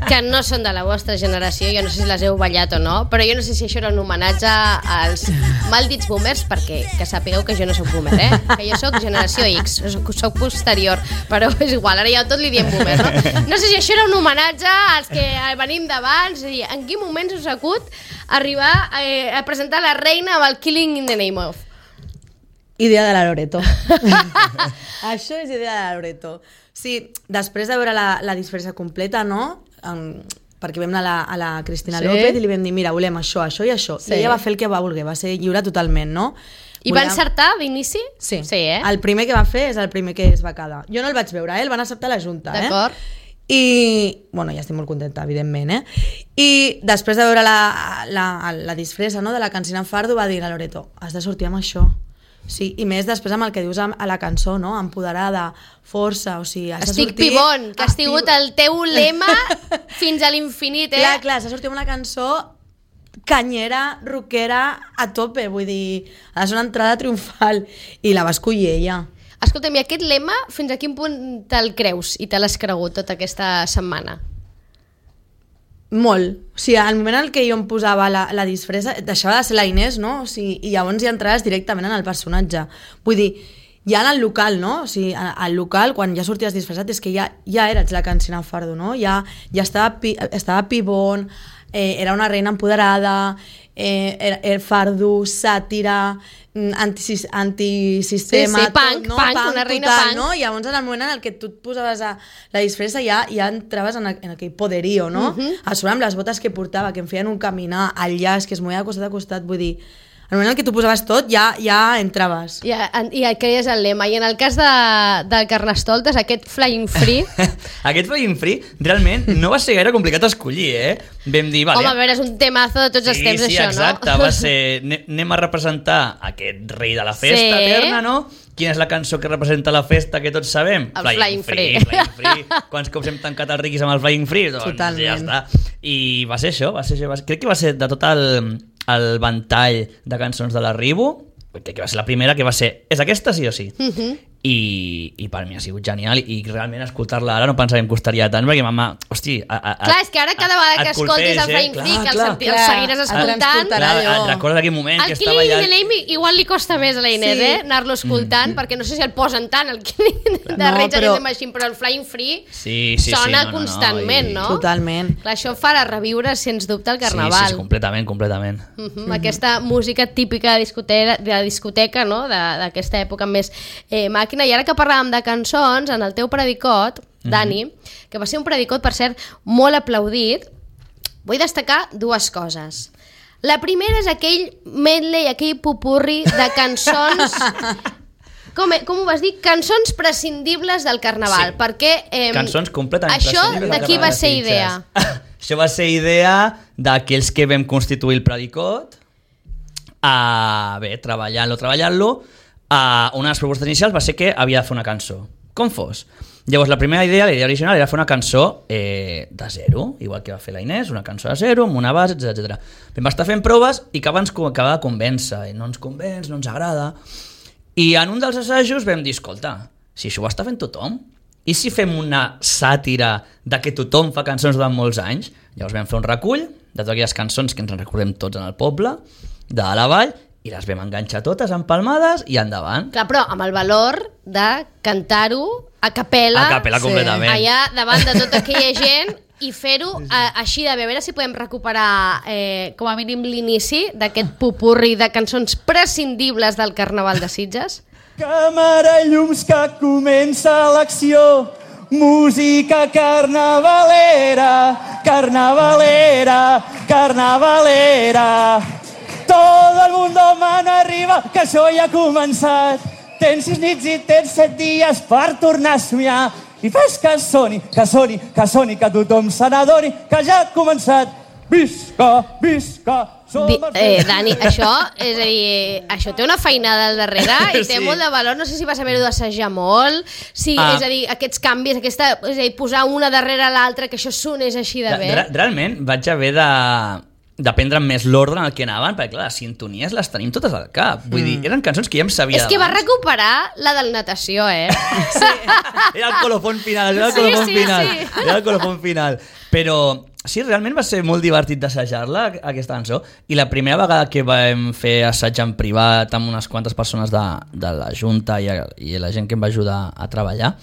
que no són de la vostra generació, jo no sé si les heu ballat o no, però jo no sé si això era un homenatge als maldits boomers, perquè que sapigueu que jo no soc boomer, eh? Que jo soc generació X, soc, soc posterior, però és igual, ara ja tot li diem boomer, no? No sé si això era un homenatge als que venim d'abans, és a dir, en quin moment us acut arribar a, a presentar la reina amb el Killing in the Name of? Idea de la Loreto. Això és idea de la Loreto. Sí, després de veure la, la disfressa completa, no? Um, perquè vam anar a la, a la Cristina sí. López i li vam dir, mira, volem això, això i això. Sí. I ella va fer el que va voler, va ser lliure totalment, no? I Volem... va encertar d'inici? Sí. sí eh? El primer que va fer és el primer que es va quedar. Jo no el vaig veure, eh? El van acceptar a la Junta. D'acord. Eh? I, bueno, ja estic molt contenta, evidentment, eh? I després de veure la, la, la disfressa, no?, de la Cansina Fardo, va dir a Loreto, has de sortir amb això. Sí, i més després amb el que dius a la cançó, no? Empoderada, força, o sigui... Has Estic de sortir... pibon, que ha sigut el teu lema fins a l'infinit, eh? Clar, clar, s'ha sortit amb una cançó canyera, rockera, a tope, vull dir, ha de ser una entrada triomfal, i la va escollir ella. Escolta'm, i aquest lema, fins a quin punt te'l creus i te l'has cregut tota aquesta setmana? Molt. O sigui, al moment en què jo em posava la, la disfressa, deixava de ser la Inés, no? O sigui, i llavors ja entraves directament en el personatge. Vull dir, ja en el local, no? O sigui, al local, quan ja sorties disfressat, és que ja, ja eres la Cansina Fardo, no? Ja, ja estava, pi, estava pibón, eh, era una reina empoderada, eh, era, era fardo, sàtira, anti, antisistema, sí, sí, punk, tot, no? punk, punk, una reina total, punk. No? I llavors en el moment en el que tu et posaves a la disfressa ja, ja entraves en, en aquell poderío, no? Uh -huh. A sobre amb les botes que portava, que em feien un caminar, al llaç, que es movia de costat a costat, vull dir, el moment en què tu posaves tot ja, ja entraves. I, i creies el lema. I en el cas de, del Carnestoltes, aquest Flying Free... aquest Flying Free realment no va ser gaire complicat escollir, eh? Vam dir, vale... Home, a veure, és un temazo de tots sí, els temps, sí, això, exacte, no? va ser... Anem a representar aquest rei de la festa Sí. eterna, no? Quina és la cançó que representa la festa que tots sabem? El Flying Free. Flying Free. Quants cops hem tancat els riquis amb el Flying Free? Doncs Totalment. ja està. I va ser això, va ser això. Va ser... Crec que va ser de tot el, el ventall de cançons de l'Arribo, crec que va ser la primera que va ser, és aquesta sí o sí? Uh -huh. I, i per mi ha sigut genial i realment escoltar-la ara no pensava que em costaria tant perquè mama, hosti a, a, Clar, és que ara cada vegada que escoltis el Flying eh? Free, que el, clar, senti, el clar. seguiràs escoltant, Clar, clar, et recordes aquell moment que el estava Killing allà in the Name igual li costa més a la Inés, Sí. eh? Anar-lo escoltant, mm. perquè no sé si el posen tant, el Killing de No, Rage però- Against the Machine, però el Flying Free sí, sí, sona sí, no, no, constantment, no? no? Totalment. Clar, això farà reviure, sens dubte, el Carnaval. Sí, sí, completament, completament. Uh -huh. Mm -hmm. Aquesta música típica de discoteca, de discoteca no? d'aquesta època més eh, màquina. I ara que parlàvem de cançons, en el teu predicot, Dani, mm -hmm. que va ser un predicot, per cert, molt aplaudit, vull destacar dues coses. La primera és aquell medley, aquell pupurri de cançons... Com, com ho vas dir? Cançons prescindibles del Carnaval, Sí. perquè... Eh, Cançons completament Això prescindibles de del qui va Carnaval ser de idea? Sitges. Això va ser idea d'aquells que vam constituir el predicot, a, bé, treballant-lo, treballant-lo, a una de les propostes inicials va ser que havia de fer una cançó, com fos. Llavors, la primera idea, la idea original, era fer una cançó eh, de zero, igual que va fer la Inés, una cançó de zero, amb una base, etcètera. Vam estar fent proves i que ens acabava de convèncer, i no ens convenç, no ens agrada. I en un dels assajos vam dir, escolta, si això ho està fent tothom, i si fem una sàtira de que tothom fa cançons durant molts anys? Llavors vam fer un recull de totes aquelles cançons que ens en recordem tots en el poble, de la vall, i les vam enganxar totes empalmades i endavant. Clar, però amb el valor de cantar-ho a capella, A capella completament. allà davant de tota aquella gent i fer-ho eh, així de bé. A veure si podem recuperar eh, com a mínim l'inici d'aquest pupurri de cançons prescindibles del Carnaval de Sitges. Càmera i llums que comença l'acció, música carnavalera, carnavalera, carnavalera. Todo el mundo mano arriba, que això ja ha començat. Tens sis nits i tens set dies per tornar a somiar. I fes que soni, que soni, que soni, que tothom se n'adoni, que ja ha començat. Visca, visca, som Di, els eh, Dani, això, és a dir, això té una feinada al darrere i té Sí. molt de valor. No sé si vas haver-ho d'assajar molt, si, Ah. és a dir, aquests canvis, aquesta, és a dir, posar una darrere l'altra, que això sonés així de bé. Re- Realment vaig haver de d'aprendre més l'ordre en el que anaven, perquè clar, les sintonies les tenim totes al cap. Vull Mm. dir, eren cançons que ja em sabia És que va d'abans. recuperar la del natació, eh? Era el colofón final, era el Sí, colofón sí, final. sí. Era el colofón final. Però sí, realment va ser molt divertit d'assajar-la, aquesta cançó. I la primera vegada que vam fer assaig en privat amb unes quantes persones de, de la Junta i, i la gent que em va ajudar a treballar,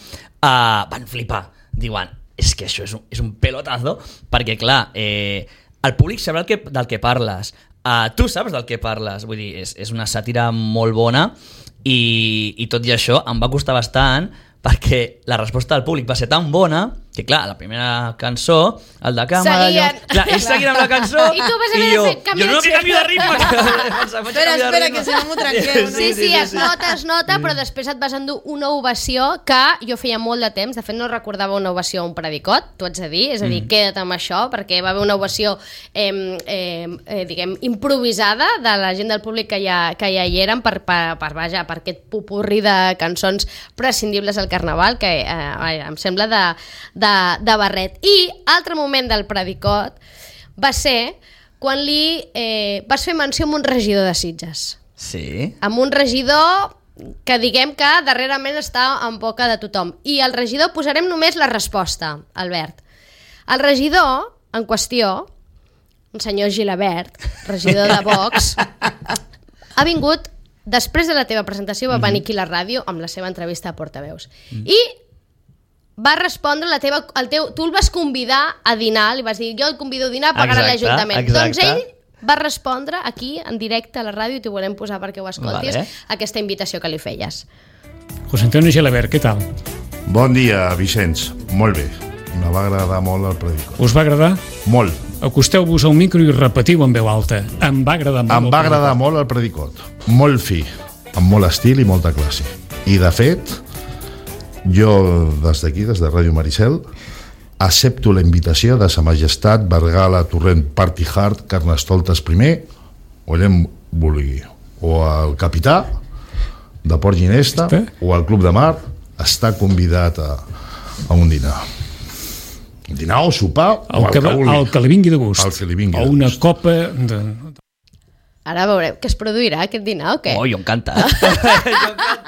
uh, van flipar. Diuen, és que això és un, és un pelotazo, perquè clar, eh, el públic sabrà el que, del que parles. Uh, tu saps del que parles. Vull dir, és, és una sàtira molt bona i, i tot i això em va costar bastant perquè la resposta del públic va ser tan bona que, clar, la primera cançó, el de càmera... Seguien. Allò, clar, ells seguien amb la cançó I tu vas haver de jo, fer canvi jo no, de que canvio de ritme. Espera, espera, que si no m'ho trenqueu, no? Sí, sí, es nota, es nota, però després et vas endur una ovació que jo feia molt de temps, de fet no recordava una ovació a un predicot, t'ho haig de dir, és a dir, queda't amb això, perquè va haver una ovació, eh, eh, eh, diguem, improvisada de la gent del públic que ja, que ja hi eren per, per, per, vaja, per aquest pupurri de cançons prescindibles al Carnaval, que eh, vaja, em sembla de, de, de barret. I altre moment del predicot va ser quan li eh, vas fer menció amb un regidor de Sitges. Sí. Amb un regidor que diguem que darrerament està en boca de tothom. I al regidor posarem només la resposta, Albert. El regidor en qüestió, un senyor Gilabert, regidor de Vox, ha vingut, després de la teva presentació, va venir aquí a la ràdio amb la seva entrevista a Portaveus. I va respondre la teva, el teu, tu el vas convidar a dinar, li vas dir, jo el convido a dinar a pagar a Exacte, l'Ajuntament. exacte. Doncs ell va respondre aquí, en directe a la ràdio, i t'ho volem posar perquè ho escoltis, Vale. aquesta invitació que li feies. José Antonio Gelabert, què tal? Bon dia, Vicenç. Molt bé. Me va agradar molt el predicó. Us va agradar? Molt. acosteu-vos al micro i repetiu en veu alta. Em va agradar molt. Em va agradar molt el predicot. Molt fi, amb molt estil i molta classe. I, de fet, jo, des d'aquí, des de Ràdio Maricel, accepto la invitació de Sa Majestat Vergala Torrent Party Hard Carnestoltes primer, o allà em vulgui, o el capità de Port Ginesta, o el Club de Mar, està convidat a, a un dinar. Un dinar o sopar, el o el que, que vulgui. el que li vingui de gust. El que li vingui o de una gust. copa de... Ara veurem que es produirà aquest dinar o què? Oh, jo encantat. jo encantat.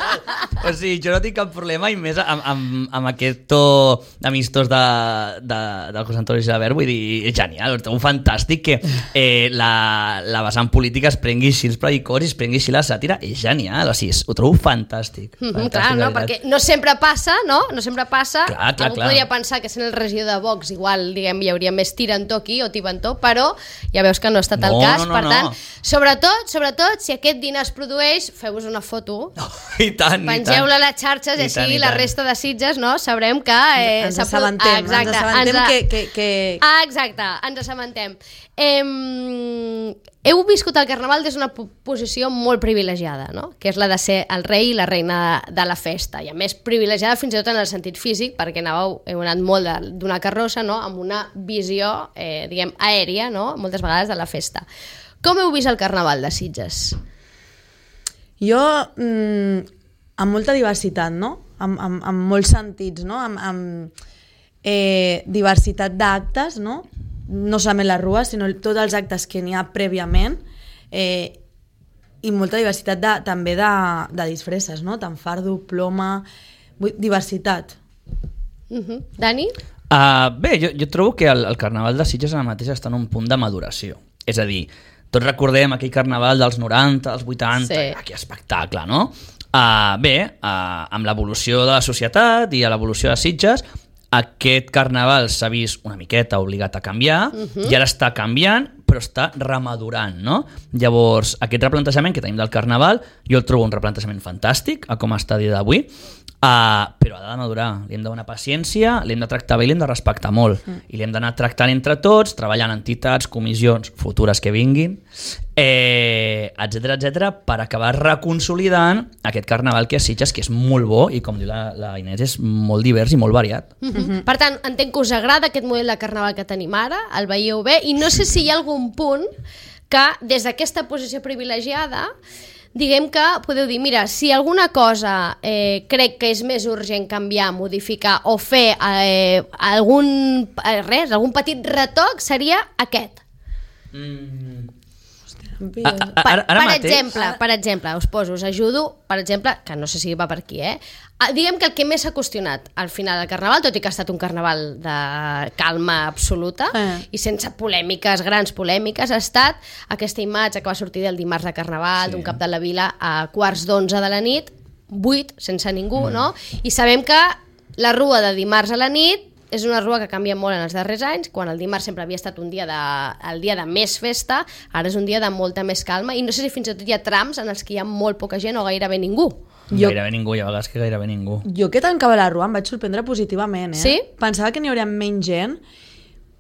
O sigui, jo no tinc cap problema, i més amb, amb, amb aquest to amistós de, de, del José Antonio Gilabert, vull dir, és genial, és un fantàstic que eh, la, la vessant política es prengui així els predicors i es prengui així la sàtira, és genial, o sigui, ho trobo fantàstic. Mm -hmm, fantàstic, clar, no? Perquè no sempre passa, no? No sempre passa. Clar, clar, Algú clar. podria pensar que sent el regidor de Vox igual, diguem, hi hauria més tirantó aquí o tibantó, però ja veus que no ha estat el No, cas. no, no, per tant, no. sobretot, sobretot, si aquest dinar es produeix, feu-vos una foto, Oh, I tant, i tant. pengeu-la a les xarxes i, I així tant, i la tant. resta de Sitges, no? Sabrem que... Eh, Ens s'ha produ- assabentem, Ah, exacte, ens assabentem ens a- que- que- que- Ah, exacte, ens assabentem. Eh, heu viscut el Carnaval des d'una po- posició molt privilegiada, no? Que és la de ser el rei i la reina de, de la festa, i a més privilegiada fins i tot en el sentit físic, perquè anàveu, heu anat molt de- d'una carrossa, no? Amb una visió, eh, diguem, aèria, no? Moltes vegades de la festa. Com heu vist el Carnaval de Sitges? Jo, mm, amb molta diversitat, no? Amb, amb, amb molts sentits, no? Amb, amb eh, diversitat d'actes, no? No solament la rua, sinó tots els actes que n'hi ha prèviament, eh, i molta diversitat de, també de, de disfresses, no? Tant fardo, ploma, vull, diversitat. Uh-huh. Dani? Uh, bé, jo, jo trobo que el, el Carnaval de Sitges ara mateix està en un punt de maduració. És a dir, tots recordem aquell Carnaval dels noranta, dels vuitanta, Sí. aquell espectacle, no? Uh, bé, uh, amb l'evolució de la societat i a l'evolució de Sitges, aquest Carnaval s'ha vist una miqueta obligat a canviar, Mhm. i ara està canviant, però està remadurant, no? Llavors, aquest replantejament que tenim del Carnaval, jo el trobo un replantejament fantàstic, a com està a dia d'avui, Uh, però ha de madurar, li hem de donar paciència, l'hem de tractar bé i l'hem de respectar molt, mm. i l'hem d'anar tractant entre tots, treballant en entitats, comissions futures que vinguin, eh, etcètera, etcètera, per acabar reconsolidant aquest Carnaval que és Sitges, que és molt bo, i com diu la, la Inés, és molt divers i molt variat. Uh -huh. Per tant, entenc que us agrada aquest model de Carnaval que tenim ara, el veieu bé, i no sé si hi ha algun punt que des d'aquesta posició privilegiada diguem que podeu dir, mira, si alguna cosa eh, crec que és més urgent canviar, modificar o fer eh, algun, eh, res, algun petit retoc, seria aquest. Mm. A, A, a, Per, ara, ara per mateix... exemple, per exemple, us poso, us ajudo, per exemple, que no sé si va per aquí, eh? Ah, diguem que el que més s'ha qüestionat al final del Carnaval, tot i que ha estat un Carnaval de calma absoluta Eh. i sense polèmiques, grans polèmiques, ha estat aquesta imatge que va sortir del dimarts de Carnaval, Sí. d'un cap de la vila a quarts d'onze de la nit, buit, sense ningú, mm. no? I sabem que la rua de dimarts a la nit és una rua que canvia molt en els darrers anys, quan el dimarts sempre havia estat un dia de, el dia de més festa, ara és un dia de molta més calma, i no sé si fins i tot hi ha trams en els que hi ha molt poca gent o gairebé ningú. Jo- Gairebé ningú, hi ha vegades que gairebé ningú. Jo que tancava la rua em vaig sorprendre positivament, eh? Sí? Pensava que n'hi hauria menys gent,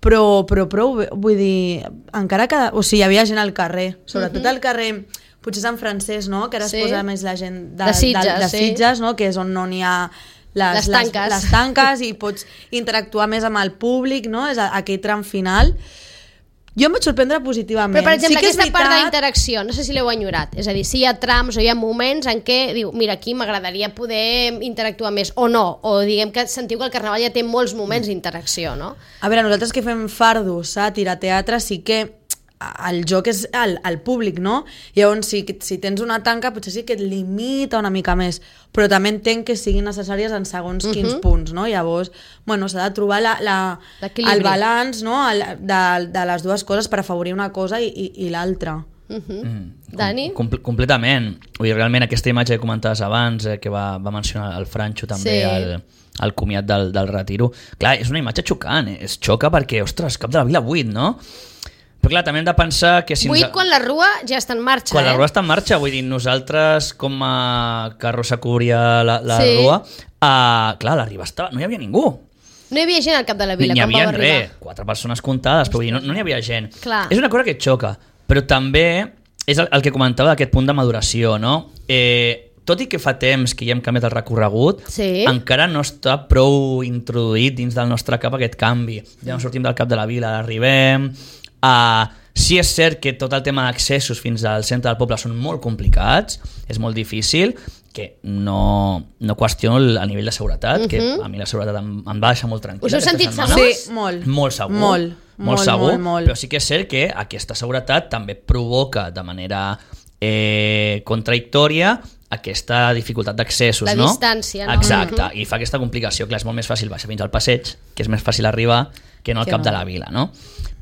però, però prou bé, vull dir, encara que... O sigui, hi havia gent al carrer, sobretot Mhm. al carrer, potser Sant Francesc, no?, que ara Sí. es posa més la gent de, De Sitges, de, de sí. Sitges, no?, que és on no n'hi ha les, Les tanques. les, les tanques i pots interactuar més amb el públic, no?, és aquell tram final. Jo em vaig sorprendre positivament. Però, per exemple, sí que és aquesta part veritat- d'interacció, no sé si l'heu enyorat. És a dir, si hi ha trams o hi ha moments en què diu, mira, aquí m'agradaria poder interactuar més, o no, o diguem que sentiu que el Carnaval ja té molts moments d'interacció, no? A veure, nosaltres que fem fardo, sàtira, teatre, sí que el joc és el, el públic, no? Llavors, si, si tens una tanca, potser sí que et limita una mica més, però també entenc que siguin necessàries en segons quins Mhm. punts, no? Llavors, bueno, s'ha de trobar la, la, L'equilibri. el balanç, no?, el, de, de les dues coses per afavorir una cosa i, i, i l'altra. Uh -huh. Mm. Dani? Com, completament. Vull dir, realment aquesta imatge que comentaves abans, eh, que va, va mencionar el Franxo també, Sí. al, al comiat del, del retiro, clar, és una imatge xocant, eh? Es xoca perquè, ostres, cap de la vila buit, no? Però clar, també hem de pensar que si... Buit ens... quan la rua ja està en marxa, Quan eh? la rua està en marxa, vull dir, nosaltres com a carrossa cobria la, la Sí. rua, uh, clar, a la riba estava, no hi havia ningú. No hi havia gent al Cap de la Vila, N'hi quan havia vau arribar. res, quatre persones comptades, però vull dir, no, no n'hi havia gent. Clar. És una cosa que et xoca, però també és el, el que comentava d'aquest punt de maduració, no? Eh, tot i que fa temps que ja hem canviat el recorregut, Sí. encara no està prou introduït dins del nostre cap aquest canvi. Ja no sortim del Cap de la Vila, arribem... A... Sí és cert que tot el tema d'accessos fins al centre del poble són molt complicats, és molt difícil, que no, no qüestiono el, el nivell de seguretat, uh-huh. que a mi la seguretat em, em va deixar molt tranquil·la. Us heu sentit aquesta setmana. segurs? Sí, molt. Molt segur. Molt, molt, molt, segur, molt, molt. però sí que és cert que aquesta seguretat també provoca de manera eh, contradictòria aquesta dificultat d'accessos, La no? distància, no? Exacte, Mhm. i fa aquesta complicació. Clar, és molt més fàcil baixar fins al passeig, que és més fàcil arribar que no al Que cap no. de la vila, no?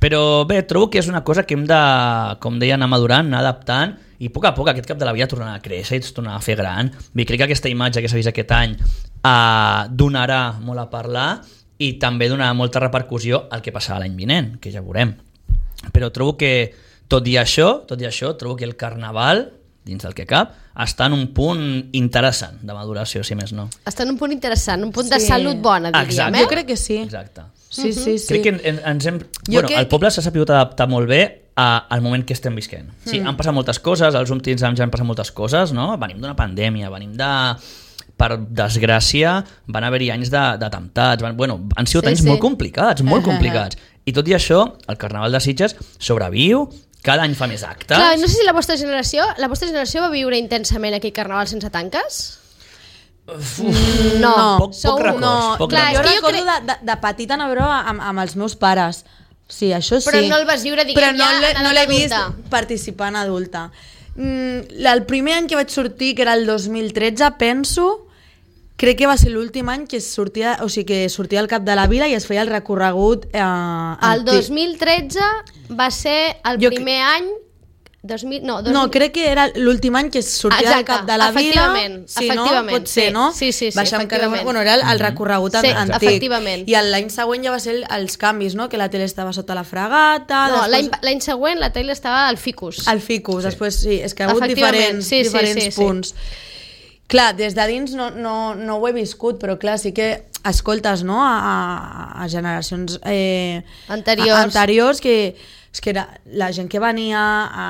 Però bé, trobo que és una cosa que hem de, com deia, anar madurant, anar adaptant, i a poc a poc aquest cap de la vila tornarà a créixer i es tornarà a fer gran. Vull, crec que aquesta imatge que s'ha vist aquest any eh, donarà molt a parlar i també donarà molta repercussió al que passarà l'any vinent, que ja veurem. Però trobo que, tot i això, tot i això, trobo que el carnaval, dins del que cap, està en un punt interessant de maduració, si més no. Està en un punt interessant, un punt de Sí. salut bona, diríem, Exacte. eh? Jo crec que sí. Exacte. Sí, sí, sí. Crec que en, ens hem... Jo Bueno, crec el poble s'ha sabut adaptar molt bé a, al moment que estem visquent. Sí, Mm. han passat moltes coses, als últims anys han passat moltes coses, no? Venim d'una pandèmia, venim de... Per desgràcia, van haver-hi anys de- d'atemptats, van, bueno, han sigut Sí, anys sí. molt complicats, molt Uh-huh. complicats. I tot i això, el Carnaval de Sitges sobreviu, cada any fa més actes. Clar, no sé si la vostra generació, la vostra generació va viure intensament aquell carnaval sense tanques? Mm, No, no, Poc- poc sou- records, no, poc clar, jo és que jo recordo crec- de, de, de petita anar-ho amb, amb els meus pares. Sí, això sí. Però no el vas viure, diguem, Però no ja l'he- en no l'he vist adulta. participar en adulta. Mm, el primer any que vaig sortir, que era el dos mil tretze, penso, crec que va ser l'últim any que sortia, o sigui, que sortia al Cap de la Vila i es feia el recorregut... Eh, El dos mil tretze va ser el Jo primer any... dos mil, no, dos No, mil... crec que era l'últim any que sortia al Exacte, Cap de la Vila. efectivament, Sí, efectivament, no? Pot ser, sí, no? sí, sí, sí, Baixar amb carrer- efectivament. Bueno, era el, el recorregut Sí, antic. efectivament. I l'any següent ja va ser el, els canvis, no? Que la tele estava sota la fregata... No, l'any després... l'any següent la tele estava al Ficus. Al Ficus, sí. Després sí, és que ha hagut Efectivament, diferents, sí, sí, diferents sí, sí. punts. Clar, des de dins no, no, no ho he viscut, però clar, sí que escoltes, no?, a, a, a generacions eh, Anteriors. A, anteriors que, és que era la gent que venia,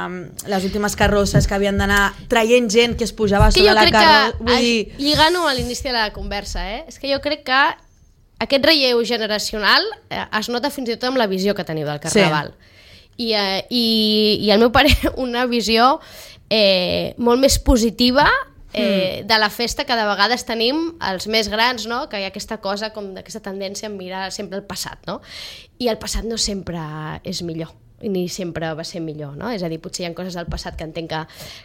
um, les últimes carrosses que havien d'anar traient gent que es pujava És que sobre jo la crec carrossa, que, vull ai, dir... lligant-ho a l'inici de la conversa, eh? és que jo crec que aquest relleu generacional eh, es nota fins i tot amb la visió que teniu del Carnaval. Sí. I, eh, i, I al meu pare una visió eh, molt més positiva eh, mm. de la festa que de vegades tenim els més grans, no? Que hi ha aquesta cosa com d'aquesta tendència a mirar sempre el passat, no? I el passat no sempre és millor i ni sempre va ser millor, no? És a dir, potser hi ha coses del passat que entenc que,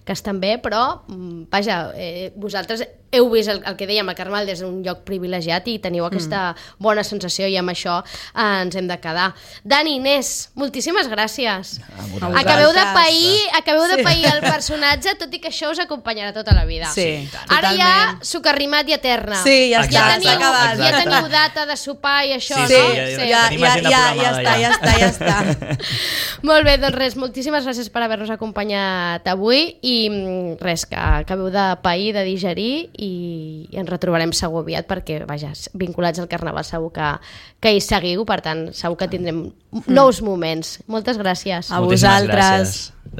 que estan bé, però, mm, vaja, eh, vosaltres heu vist el, el que dèiem, el Carnaval des d'un lloc privilegiat i teniu aquesta mm. bona sensació i amb això eh, ens hem de quedar. Dani, Inés, moltíssimes gràcies. vosaltres. Acabeu de pair, acabeu de Sí. pair el personatge, tot i que això us acompanyarà tota la vida. Sí, Ara ja, totalment. socarrimat i eterna. Sí, ja ja està, teniu, s'ha acabat. ja teniu data de sopar i això, Sí, no? sí, ja- ja, tenim ja, agenda ja, ja programada està, ja. ja està, ja està. Molt bé, doncs res, moltíssimes gràcies per haver-nos acompanyat avui i mm, res, que acabeu de pair, de digerir i, i ens retrobarem segur aviat perquè, vaja, vinculats al Carnaval segur que, que hi seguiu, per tant, segur que tindrem nous moments. Moltes gràcies. A Moltíssimes vosaltres. gràcies.